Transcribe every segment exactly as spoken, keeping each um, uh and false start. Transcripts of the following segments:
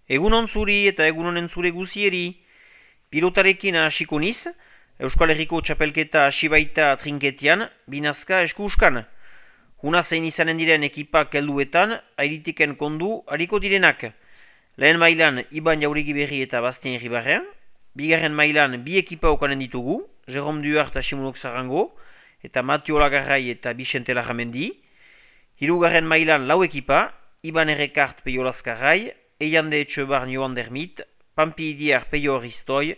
Egunon zuri eta egunonen zure guzieri. Pilotarekin hasiko niz, Euskal Herriko txapelketa hasi baita trinketian, binazka eskuskan. Huna zein izanen diren ekipak helduetan, airitiken kondu hariko direnak. Lehen mailan Iban Jauregi Berri eta Bastien Ribarren, bigarren mailan bi ekipa okanen ditugu, Jerome Duart eta Simonok Zarango, eta Matio Lagarrai eta Vicente Larramendi. Hirugarren mailan lau ekipa, Iban Errekart Peio Lazkarrai, Eiande Etxebar Joan Dermit, Pampi Idiar Peio Ristoy,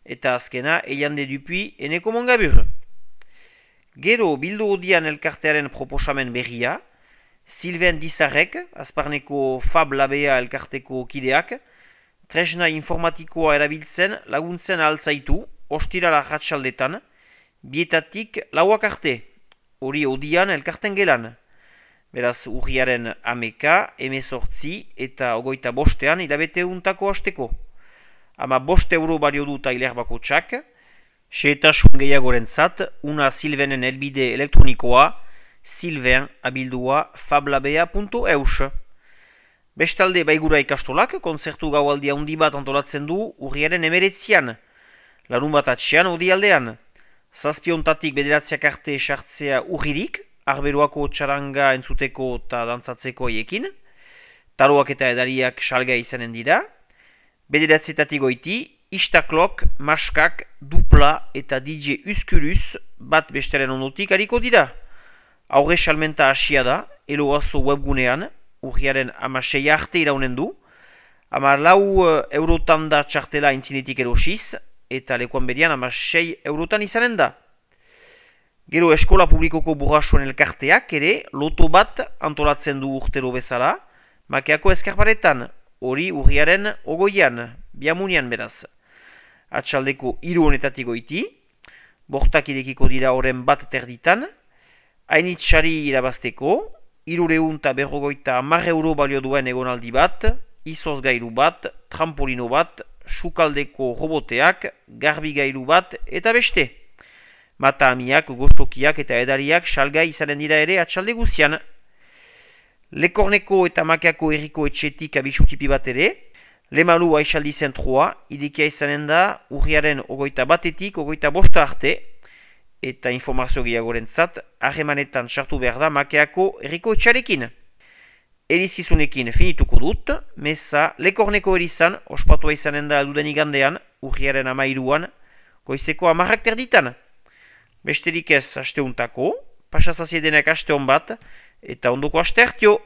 eta azkena Eiande Dupuy Eneko Mongabur. Gero bildu odian elkartearen proposamen berria, Sylvain Dizarrek, Azparneko Fab Labea elkarteko kideak, tresna informatikoa erabiltzen laguntzen ahaltzaitu, ostirala ratxaldetan, bietatik lauak arte, hori odian elkarten gelan. Beraz, urriaren ameka, emezortzi eta ogoita bostean hilabete untako hasteko. Ama bost euro balio du tailer bako txak, xeetasun gehiagoren zat, una Sylvainen elbide elektronikoa, Sylvain abildua fablabea puntu eus. Bestalde baigura ikastolak, kontzertu gaualdia handi bat antolatzen du urriaren emeretzian. Larun bat atxean odi aldean. Zazpiontatik bederatziak arte sartzea urririk, arberoako txaranga entzuteko eta dantzatzeko eiekin. Taroak eta edariak salga izanen dira. Bederatzetatik goiti, Istaklok, Maskak, Dupla eta D J Uskurus bat besteren ondotik hariko dira. Aurre salmenta hasia da, eloazo webgunean, urriaren amasei arte iraunen du, ama lau eurotan da txartela intzinetik erosiz, eta lekuan berian amasei eurotan izanen da. Gero eskola publikoko burrasoen elkarteak ere loto bat antolatzen du urtero bezala, makeako eskarparetan, hori urriaren ogoian, biamunian beraz. Atxaldeko hiru honetatik goiti, bortak idekiko dira horren bat terditan, hainitxari irabazteko, hirureun eta berrogoita hamar euro balio duen egonaldi bat, izoz gailu bat, trampolino bat, sukaldeko roboteak, garbi gailu bat eta beste. Mata amiak, gozokiak eta edariak salgai izanen dira ere atxalde guzian. Lekorneko eta Makeako herriko etxetik abisutipi bat ere, Lemalu aixaldi zentroa, idikia izanen da urriaren ogoita batetik, ogoita bosta arte, eta informazio gehiagoren zat, harremanetan sartu behar da Makeako herriko etxarekin. Erizkizunekin finituko dut, meza Lekorneko erizan, ospatua izanen da duden igandean, urriaren amairuan, goizeko amarrak terditan. Besterik ez asteuntako, pasazaziedenak aste hon bat, eta ondoko aste hartio.